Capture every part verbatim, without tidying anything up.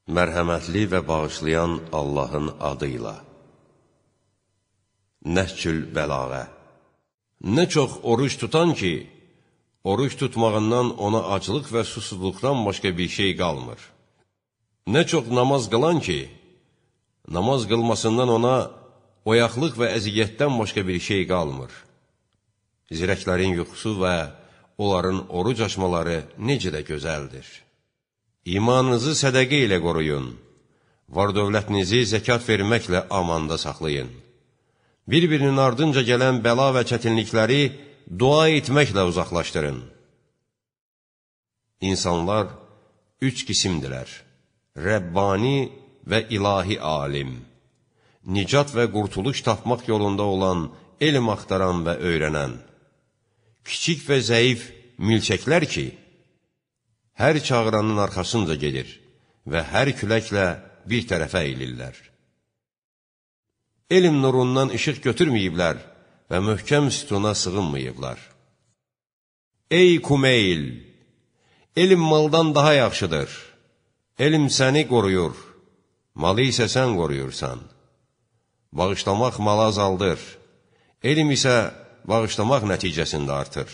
Mərhəmətli və bağışlayan Allahın adıyla. Nəhcül Bəlağə. Nə çox oruç tutan ki, oruç tutmağından ona aclıq və susuzluqdan başqa bir şey qalmır. Nə çox namaz qılan ki, namaz qılmasından ona oyaqlıq və əziyyətdən başqa bir şey qalmır. Zirəklərin yuxusu və onların oruc açmaları necə də gözəldir. İmanınızı sədəqə ilə qoruyun, var-dövlətinizi zəkat verməklə amanda saxlayın. Bir-birinin ardınca gələn bəla və çətinlikləri dua etməklə uzaqlaşdırın. İnsanlar üç qisimdilər: Rəbbani və ilahi alim, nicat və qurtuluş tapmaq yolunda olan elm axtaran və öyrənən, kiçik və zəif milçəklər ki, hər çağıranın arxasınca gedir və hər küləklə bir tərəfə eylirlər. Elm nurundan işıq götürməyiblər və möhkəm sütuna sığınmayıblar. Ey Kumeyl! Elm maldan daha yaxşıdır. Elm səni qoruyur, malı isə sən qoruyursan. Bağışlamaq malı azaldır, elm isə bağışlamaq nəticəsində artır.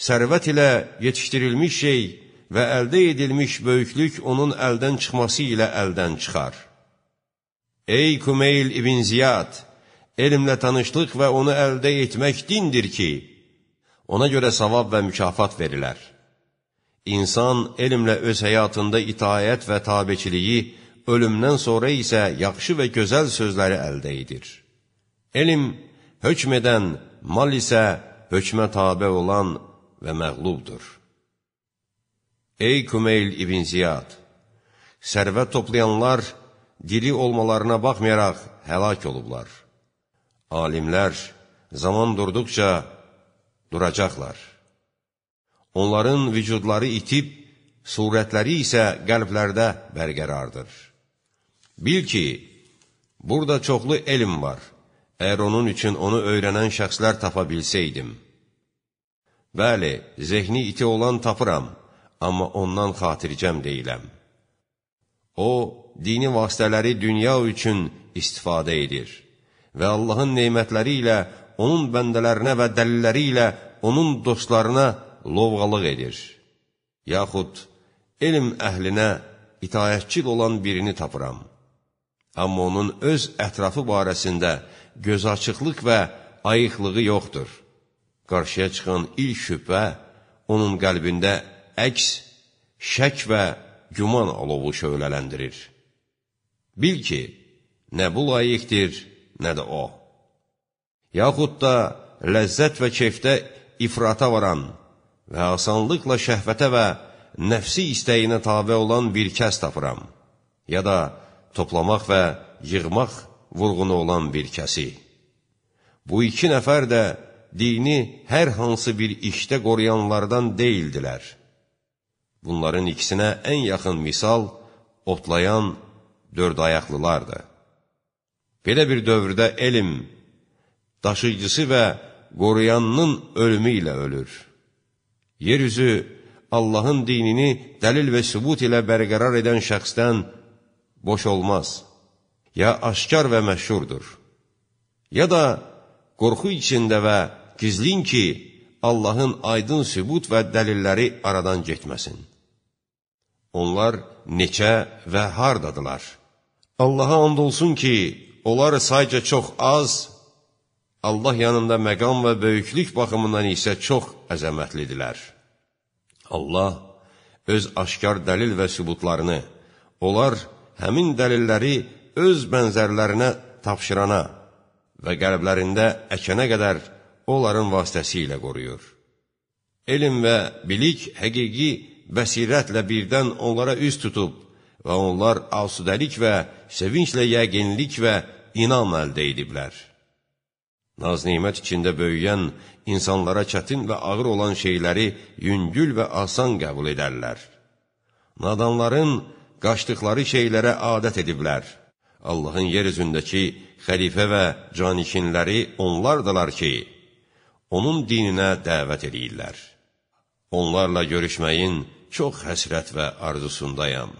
Sərvət ilə yetişdirilmiş şey və əldə edilmiş böyüklük onun əldən çıxması ilə əldən çıxar. Ey Kumeyl ibn Ziyad! Elmlə tanışlıq və onu əldə etmək dindir ki, ona görə savab və mükafat verilər. İnsan elmlə öz həyatında itaət və tabeçiliyi, ölümdən sonra isə yaxşı və gözəl sözləri əldə edir. Elm hökm edən, mal isə hökmə tabe olan və məğlubdur. Ey Kumeyl ibn Ziyad! Sərvət toplayanlar diri olmalarına baxmayaraq həlak olublar. Alimlər zaman durduqca duracaqlar. Onların vücudları itib, surətləri isə qəlblərdə bərqərardır. Bil ki, burada çoxlu elm var. Əgər onun üçün onu öyrənən şəxslər tapa bilsəydim. Bəli, zehni iti olan tapıram, amma ondan xatircəm deyiləm. O, dini vasitələri dünya üçün istifadə edir və Allahın neymətləri ilə, onun bəndələrinə və dəlilləri ilə onun dostlarına lovğalıq edir. Yaxud elm əhlinə itayətçil olan birini tapıram. Amma onun öz ətrafı barəsində gözaçıqlıq və ayıqlığı yoxdur. Qarşıya çıxan ilk şübhə onun qəlbində əks, şək və güman alovu şöhlələndirir. Bil ki, nə bu layiqdir, nə də o. Yaxud da ləzzət və keyfdə ifrata varan və asanlıqla şəhvətə və nəfsi istəyinə tabe olan bir kəs tapıram. Ya da toplamaq və yığmaq vurğunu olan bir kəsi. Bu iki nəfər də dini hər hansı bir işdə qoruyanlardan deyildilər. Bunların ikisinə ən yaxın misal otlayan dörd ayaqlılardır. Belə bir dövrdə elm, daşıyıcısı və qoruyanının ölümü ilə ölür. Yeryüzü Allahın dinini dəlil və sübut ilə bərqərar edən şəxsdən boş olmaz. Ya aşkar və məşhurdur. Ya da qorxu içində və gizlin ki, Allahın aydın sübut və dəlilləri aradan getməsin. Onlar neçə və hardadılar? Allaha and olsun ki, onlar sayca çox az, Allah yanında məqam və böyüklük baxımından isə çox əzəmətlidirlər. Allah öz aşkar dəlil və sübutlarını, onlar həmin dəlilləri öz bənzərlərinə tapşırana və qəlblərində əkənə qədər onların vasitəsilə qoruyur. Elm və bilik həqiqi bəsirətlə birdən onlara üz tutub və onlar asudəlik və sevinclə yəqinlik və inam əldə ediblər. Naz-nimət içində böyüyən insanlara çətin və ağır olan şeyləri yüngül və asan qəbul edərlər. Nadanların qaçdıqları şeylərə adət ediblər. Allahın yer üzündəki xəlifə və canikinləri onlardılar ki, onun dininə dəvət edirlər. Onlarla görüşməyin çox həsrət və arzusundayam.